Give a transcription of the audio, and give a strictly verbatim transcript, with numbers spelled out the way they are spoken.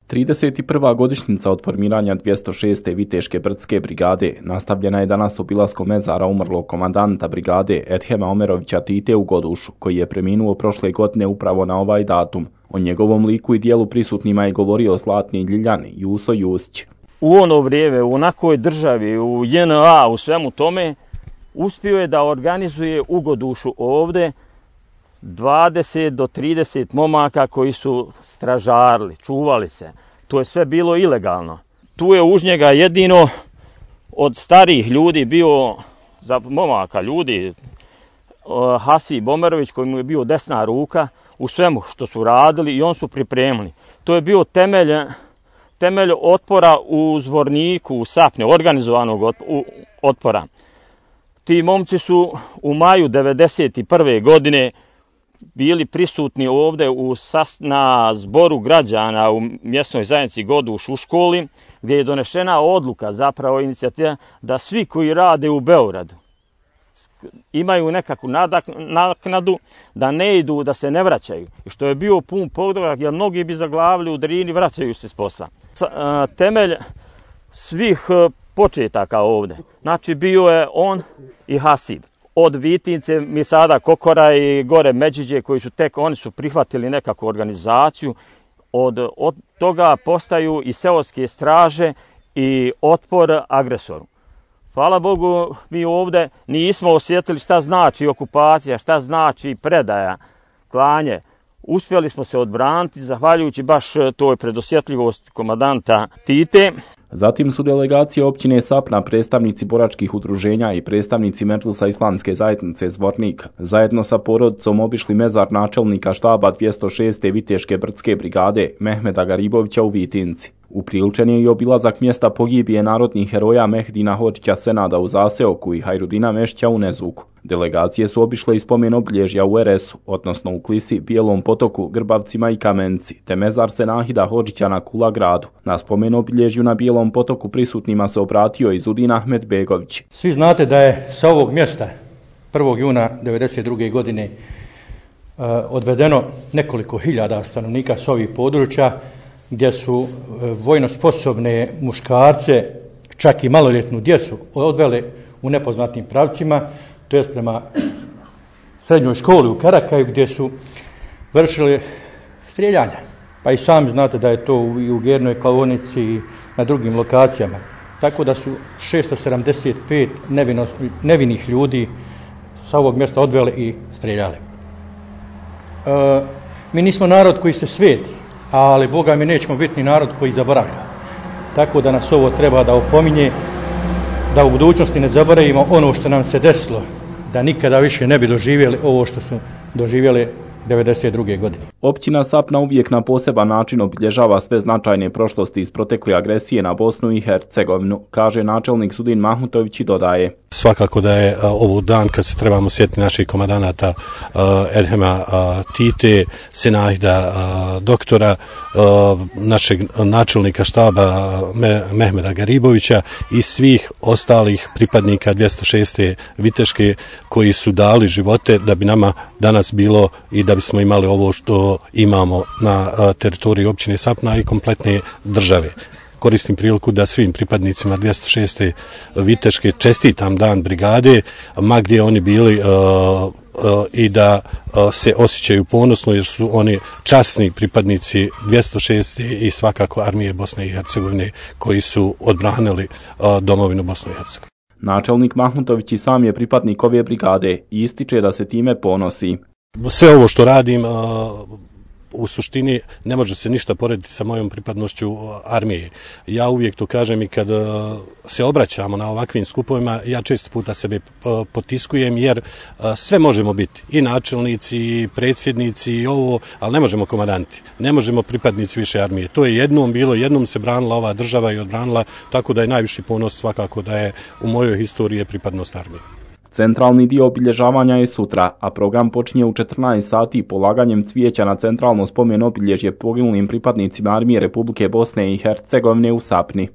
trideset prva godišnjica od formiranja dvjesto šeste Viteške brdske brigade nastavljena je danas obilaskom mezara umrlog komandanta brigade Edhema Omerovića Tite u Godušu, koji je preminuo prošle godine upravo na ovaj datum. O njegovom liku i dijelu prisutnima je govorio Zlatni Ljiljan Juso Jusić. U ono vrijeme, u onakoj državi, u J N A, u svemu tome, uspio je da organizuje u Godušu ovdje dvadeset do trideset momaka koji su stražarili, čuvali se. To je sve bilo ilegalno. Tu je uz njega jedino od starih ljudi bio, za momaka ljudi, Hasib Omerović, koji mu je bio desna ruka u svemu što su radili i on su pripremili. To je bio temelj, temelj otpora u Zvorniku, u Sapne, organizovanog otpora. Ti momci su u maju devedeset prve godine bili prisutni ovdje u, na zboru građana u mjesnoj zajednici Goduš u školi, gdje je donešena odluka, zapravo inicijativa, da svi koji rade u Beogradu imaju nekakvu naknadu, da ne idu, da se ne vraćaju. I što je bio pun pogodak, jer mnogi bi zaglavili u Drini, vraćaju se s posla. Temelj svih početaka ovdje, znači bio je on i Hasib. Od Vitince, mi sada Kokora i gore Međiđe, koji su tek, oni su prihvatili nekakvu organizaciju, od, od toga postaju i seoske straže i otpor agresoru. Hvala Bogu, mi ovdje nismo osjetili šta znači okupacija, šta znači predaja, klanje. Uspjeli smo se odbraniti, zahvaljujući baš toj predosjetljivosti komandanta Tite. Zatim su delegacije općine Sapna, predstavnici boračkih udruženja i predstavnici Medžlisa Islamske zajednice Zvornik zajedno sa porodicom obišli mezar načelnika štaba dvjesto šeste Viteške brdske brigade Mehmeda Garibovića u Vitinci. Upriličen je i obilazak mjesta pogibije narodnih heroja Mehdina Hodžića Senada u Zaseoku i Hajrudina Mešća u Nezuku. Delegacije su obišle i spomen obilježja u R S-u, odnosno u Klisi, Bijelom potoku, Grbavcima i Kamenci, te mezar Senahida Hodžića na Kula gradu. Na spomen obilježju na Bijelom potoku prisutnima se obratio i Zudin Ahmed Begović. Svi znate da je sa ovog mjesta prvog juna devedeset druge godine uh, odvedeno nekoliko hiljada stanovnika s ovih područja, gdje su uh, vojno sposobne muškarce, čak i maloljetnu djecu odvele u nepoznatim pravcima, to je prema srednjoj školi u Karakaju, gdje su vršili strijeljanja. Pa i sami znate da je to i u Gernoj klaonici i na drugim lokacijama. Tako da su šesto sedamdeset pet nevino, nevinih ljudi sa ovog mjesta odveli i strijeljali. E, mi nismo narod koji se sveti, ali Boga mi nećemo biti ni narod koji zaboravlja. Tako da nas ovo treba da opominje, da u budućnosti ne zaboravimo ono što nam se desilo, da nikada više ne bi doživjeli ovo što su doživjeli devedeset druge godine. Općina Sapna uvijek na poseban način obilježava sve značajne prošlosti iz protekle agresije na Bosnu i Hercegovinu, kaže načelnik Zudin Mahmutović i dodaje. Svakako da je ovo dan kad se trebamo sjetiti naših komandanata uh, Edhema uh, Tite, Senahida uh, doktora, uh, našeg načelnika štaba Me, Mehmeda Garibovića i svih ostalih pripadnika dvjesto šeste Viteške koji su dali živote da bi nama danas bilo i da bismo imali ovo što imamo na uh, teritoriji općine Sapna i kompletne države. Koristim priliku da svim pripadnicima dvjesto šeste Viteške čestitam dan brigade, ma gdje oni bili, uh, uh, i da uh, se osjećaju ponosno jer su oni časni pripadnici dvjesto šeste i svakako armije Bosne i Hercegovine koji su odbranili uh, domovinu Bosne i Hercegovine. Načelnik Mahmutović i sam je pripadnik ove brigade i ističe da se time ponosi. Sve ovo što radim uh, u suštini ne može se ništa porediti sa mojom pripadnošću armije. Ja uvijek to kažem i kad se obraćamo na ovakvim skupovima, ja često puta sebe potiskujem jer sve možemo biti. I načelnici, i predsjednici, i ovo, ali ne možemo komandanti. Ne možemo pripadnici više armije. To je jednom bilo, jednom se branila ova država i odbranila, tako da je najviši ponos svakako da je u mojoj historiji pripadnost armije. Centralni dio obilježavanja je sutra, a program počinje u četrnaest sati polaganjem cvijeća na centralno spomen obilježje poginulim pripadnicima armije Republike Bosne i Hercegovine u Sapni.